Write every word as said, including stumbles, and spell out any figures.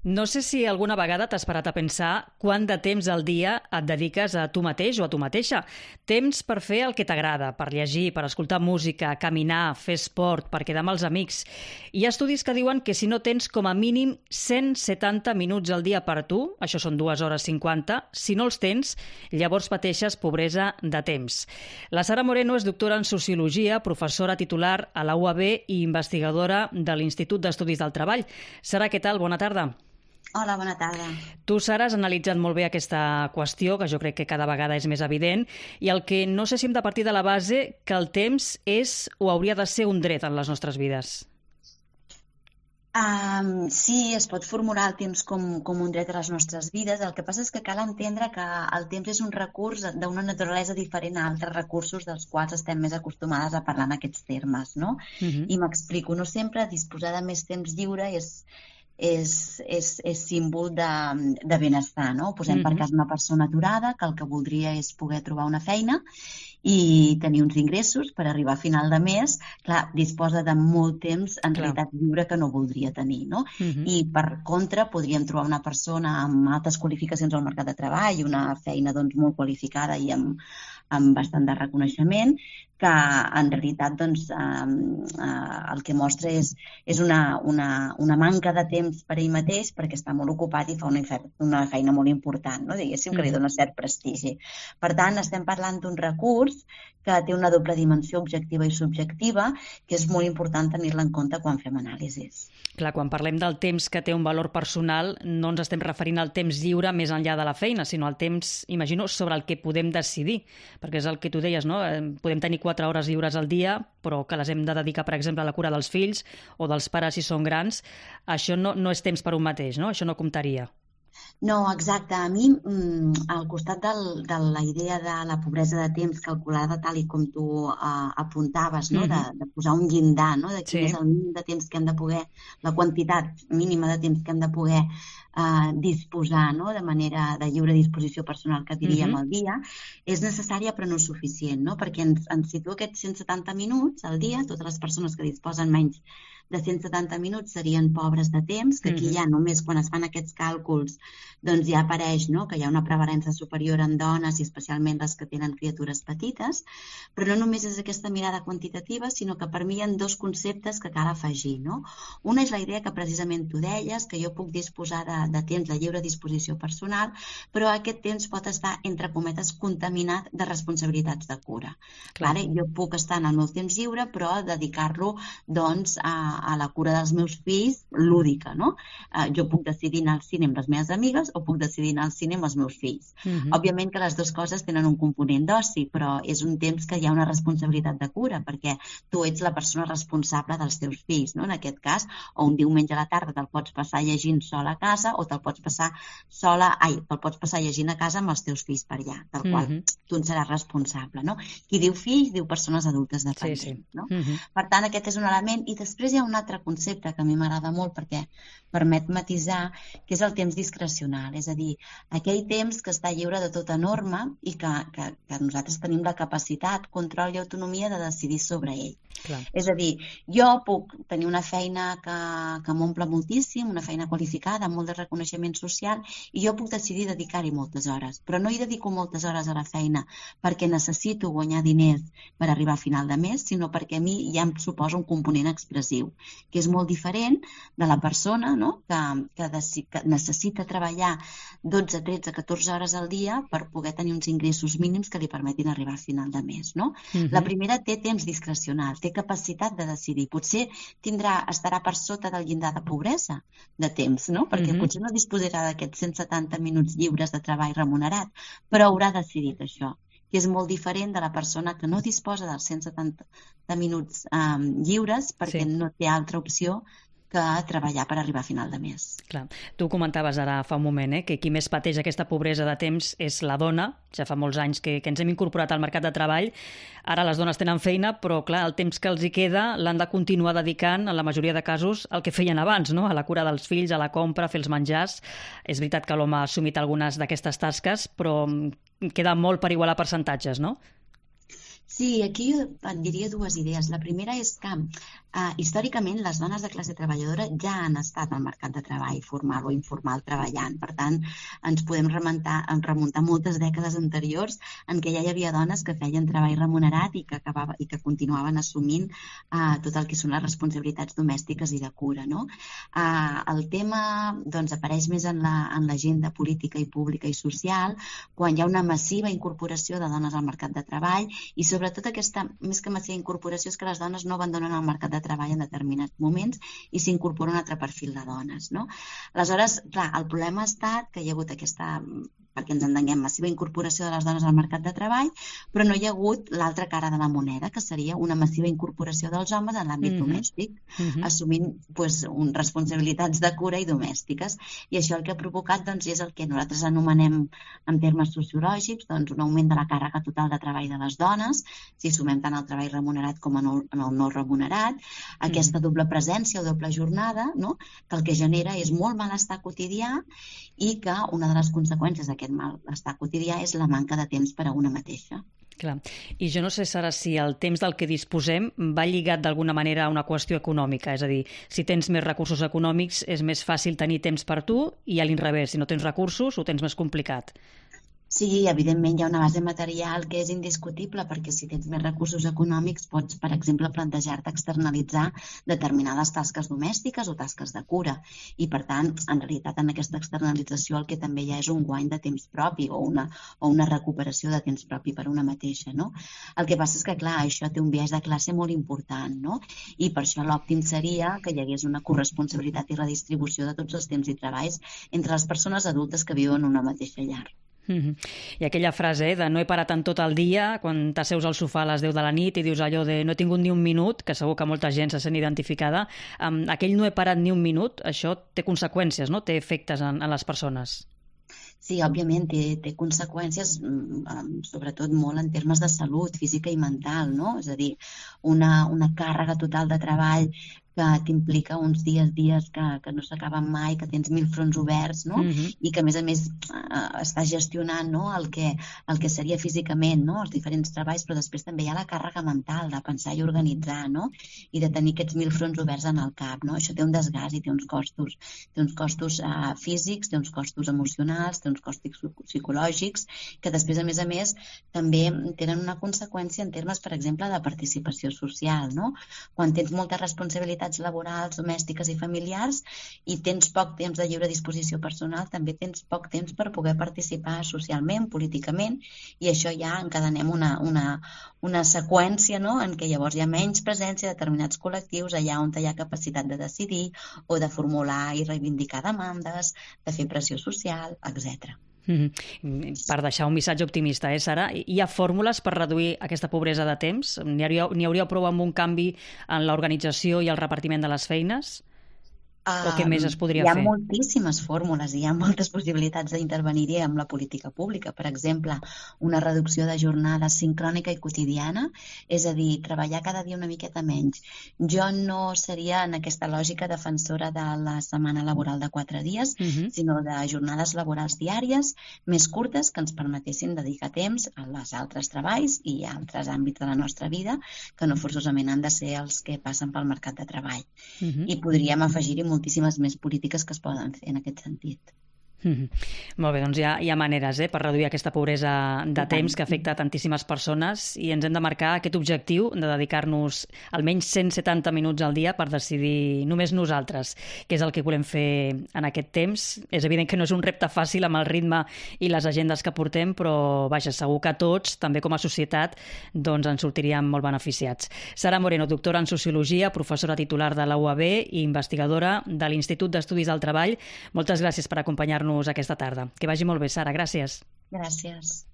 No sé si alguna vegada t'has parat a pensar quant de temps al dia et dediques a tu mateix o a tu mateixa. Temps per fer el que t'agrada, per llegir, per escoltar música, caminar, fer esport, per quedar amb els amics. Hi ha estudis que diuen que si no tens com a mínim cent setanta minuts al dia per a tu, això són dues hores cinquanta, si no els tens, llavors pateixes pobresa de temps. La Sara Moreno és doctora en Sociologia, professora titular a la U A B i investigadora de l'Institut d'Estudis del Treball. Sara, què tal? Bona tarda. Hola, bona tarda. Tu, Sara, has analitzat molt bé aquesta qüestió, que jo crec que cada vegada és més evident, i el que no sé si hem de partir de la base que el temps és o hauria de ser un dret en les nostres vides. Um, sí, es pot formular el temps com, com un dret a les nostres vides. El que passa és que cal entendre que el temps és un recurs d'una naturalesa diferent a altres recursos dels quals estem més acostumades a parlar en aquests termes, no? Uh-huh. I m'explico, no sempre disposar de més temps lliure és... És, és, és símbol de, de benestar, no? Posem mm-hmm. per cas una persona aturada que el que voldria és poder trobar una feina i tenir uns ingressos per arribar a final de mes. Clar, disposa de molt temps en Clar. realitat lliure que no voldria tenir, no? Mm-hmm. I per contra podríem trobar una persona amb altes qualificacions al mercat de treball, una feina doncs, molt qualificada i amb, amb bastant de reconeixement, que en realitat doncs, eh, eh, el que mostra és, és una, una, una manca de temps per ell mateix perquè està molt ocupat i fa una, una feina molt important, no? Diguéssim, que li dona cert prestigi. Per tant, estem parlant d'un recurs que té una doble dimensió objectiva i subjectiva, que és molt important tenir-la en compte quan fem anàlisis. Clar, quan parlem del temps que té un valor personal, no ens estem referint al temps lliure més enllà de la feina, sinó al temps, imagino, sobre el que podem decidir, perquè és el que tu deies, no? Podem tenir quatre hores lliures al dia, però que les hem de dedicar, per exemple, a la cura dels fills o dels pares si són grans. Això no, no és temps per un mateix, no? Això no comptaria. No, exacte. A mi, al costat del, de la idea de la pobresa de temps calculada tal i com tu uh, apuntaves, no? Mm-hmm. de, de posar un llindar, no? de quin sí. és el mínim de temps que hem de poder, la quantitat mínima de temps que hem de poder uh, disposar, no? de manera de lliure disposició personal que diríem mm-hmm. al dia, és necessària però no suficient, no? perquè ens, ens situa aquests cent setanta minuts al dia. Totes les persones que disposen menys de cent setanta minuts serien pobres de temps, que aquí mm-hmm. ja només quan es fan aquests càlculs doncs ja apareix, no? que hi ha una prevalença superior en dones i especialment les que tenen criatures petites, però no només és aquesta mirada quantitativa, sinó que per mi hi ha dos conceptes que cal afegir. No? Una és la idea que precisament tu deies, que jo puc disposar de, de temps de lliure disposició personal, però aquest temps pot estar, entre cometes, contaminat de responsabilitats de cura. Clar. Vale? Jo puc estar en el meu temps lliure, però dedicar-lo doncs, a, a la cura dels meus fills lúdica. No? Uh, jo puc decidir anar al cine amb les meves amigues o puc decidir anar al cine amb els meus fills. Uh-huh. Òbviament que les dues coses tenen un component d'oci, però és un temps que hi ha una responsabilitat de cura, perquè tu ets la persona responsable dels teus fills, no? En aquest cas, o un diumenge a la tarda te'l pots passar llegint sola a casa o te'l pots passar sola, ai, te'l pots passar llegint a casa amb els teus fills per allà, del qual uh-huh. tu en seràs responsable, no? Qui diu fills, diu persones adultes dependents, sí, sí. no? Uh-huh. Per tant, aquest és un element, i després hi ha un altre concepte que a mi m'agrada molt perquè permet matisar, que és el temps discrecional, és a dir, aquell temps que està lliure de tota norma i que, que, que nosaltres tenim la capacitat, control i autonomia de decidir sobre ell. Clar. És a dir, jo puc tenir una feina que, que m'omple moltíssim, una feina qualificada, amb molt de reconeixement social, i jo puc decidir dedicar-hi moltes hores, però no hi dedico moltes hores a la feina perquè necessito guanyar diners per arribar a final de mes, sinó perquè a mi ja em suposa un component expressiu, que és molt diferent de la persona, no? que, que, de, que necessita treballar dotze, tretze, catorze hores al dia per poder tenir uns ingressos mínims que li permetin arribar a final de mes. No? Uh-huh. La primera té temps discrecional, té capacitat de decidir. Potser tindrà, estarà per sota del llindar de pobresa de temps, no? perquè uh-huh. potser no disposarà d'aquests cent setanta minuts lliures de treball remunerat, però haurà decidit això, que és molt diferent de la persona que no disposa dels cent setanta minuts um, lliures perquè sí. no té altra opció que treballar per arribar a final de mes. Clar. Tu comentaves ara fa un moment eh, que qui més pateix aquesta pobresa de temps és la dona. Ja fa molts anys que, que ens hem incorporat al mercat de treball. Ara les dones tenen feina, però clar, el temps que els hi queda l'han de continuar dedicant, en la majoria de casos, al que feien abans, no? A la cura dels fills, a la compra, a fer els menjars. És veritat que l'home ha assumit algunes d'aquestes tasques, però queda molt per igualar percentatges, no? Sí, aquí jo et diria dues idees. La primera és que eh, històricament les dones de classe treballadora ja han estat al mercat de treball formal o informal treballant. Per tant, ens podem remuntar, remuntar moltes dècades anteriors en què ja hi havia dones que feien treball remunerat i que, acabava, i que continuaven assumint eh, tot el que són les responsabilitats domèstiques i de cura. No? Eh, el tema doncs, apareix més en l'agenda política i pública i social quan hi ha una massiva incorporació de dones al mercat de treball i sobretot aquesta, més que massiva incorporació, és que les dones no abandonen el mercat de treball en determinats moments i s'incorpora un altre perfil de dones. No? Aleshores, clar, el problema ha estat que hi ha hagut aquesta, perquè ens entenguem, massiva incorporació de les dones al mercat de treball, però no hi ha hagut l'altra cara de la moneda, que seria una massiva incorporació dels homes en l'àmbit mm-hmm. domèstic, mm-hmm. assumint pues, un, responsabilitats de cura i domèstiques. I això el que ha provocat doncs, és el que nosaltres anomenem en termes sociològics doncs, un augment de la càrrega total de treball de les dones, si sumem tant el treball remunerat com en el, en el no remunerat, aquesta mm-hmm. doble presència o doble jornada, no? Que el que genera és molt malestar quotidià i que una de les conseqüències d'aquest malestar quotidià és la manca de temps per a una mateixa. Clar. I jo no sé, Sara, si el temps del que disposem va lligat d'alguna manera a una qüestió econòmica, és a dir, si tens més recursos econòmics és més fàcil tenir temps per tu i a l'inrevés, si no tens recursos ho tens més complicat. Sí, evidentment hi ha una base material que és indiscutible perquè si tens més recursos econòmics pots, per exemple, plantejar-te externalitzar determinades tasques domèstiques o tasques de cura i, per tant, en realitat, en aquesta externalització el que també hi ha és un guany de temps propi o una, o una recuperació de temps propi per una mateixa, no? El que passa és que, clar, això té un biaix de classe molt important, no? I per això l'òptim seria que hi hagués una corresponsabilitat i redistribució de tots els temps i treballs entre les persones adultes que viuen en una mateixa llar. Mm-hmm. I aquella frase eh, de no he parat en tot el dia, quan t'asseus al sofà a les deu de la nit i dius allò de no he tingut ni un minut, que segur que molta gent se sent identificada, amb aquell no he parat ni un minut, això té conseqüències, no? Té efectes en, en les persones. Sí, òbviament té, té conseqüències, sobretot molt en termes de salut física i mental, no? És a dir, una, una càrrega total de treball que t'implica uns dies, dies que, que no s'acaben mai, que tens mil fronts oberts, no? Mm-hmm. I que, a més a més, eh, estàs gestionant no? el, que, el que seria físicament, no? Els diferents treballs, però després també hi ha la càrrega mental de pensar i organitzar, no? I de tenir aquests mil fronts oberts en el cap, no? Això té un desgast i té uns costos. Té uns costos eh, físics, té uns costos emocionals, té uns costos psicològics, que després, a més a més, també tenen una conseqüència en termes, per exemple, de participació social, no? Quan tens molta responsabilitat laborals, domèstiques i familiars i tens poc temps de lliure disposició personal, també tens poc temps per poder participar socialment, políticament, i això ja encadenem una, una, una seqüència no? En què llavors hi ha menys presència de determinats col·lectius allà on hi ha capacitat de decidir o de formular i reivindicar demandes, de fer pressió social, etcètera. Mm-hmm. Per deixar un missatge optimista, eh, Sara? Hi ha fórmules per reduir aquesta pobresa de temps? N'hi hauria, n'hi hauria prou amb un canvi en l'organització i el repartiment de les feines? O què més es podria fer? Hi ha fer? moltíssimes fórmules, hi ha moltes possibilitats d'intervenir-hi amb la política pública. Per exemple, una reducció de jornada sincrònica i quotidiana, és a dir, treballar cada dia una miqueta menys. Jo no seria en aquesta lògica defensora de la setmana laboral de quatre dies, uh-huh. sinó de jornades laborals diàries més curtes que ens permetessin dedicar temps als altres treballs i a altres àmbits de la nostra vida que no forçosament han de ser els que passen pel mercat de treball. Uh-huh. I podríem afegir-hi moltíssimes més polítiques que es poden fer en aquest sentit. Mm-hmm. Molt bé, doncs hi ha, hi ha maneres eh, per reduir aquesta pobresa de temps que afecta tantíssimes persones i ens hem de marcar aquest objectiu de dedicar-nos almenys cent setanta minuts al dia per decidir només nosaltres què és el que volem fer en aquest temps. És evident que no és un repte fàcil amb el ritme i les agendes que portem, però vaja, segur que tots, també com a societat, doncs ens sortiríem molt beneficiats. Sara Moreno, doctora en Sociologia, professora titular de la U A B i investigadora de l'Institut d'Estudis del Treball. Moltes gràcies per acompanyar-nos aquesta tarda. Que vagi molt bé, Sara. Gràcies. Gràcies.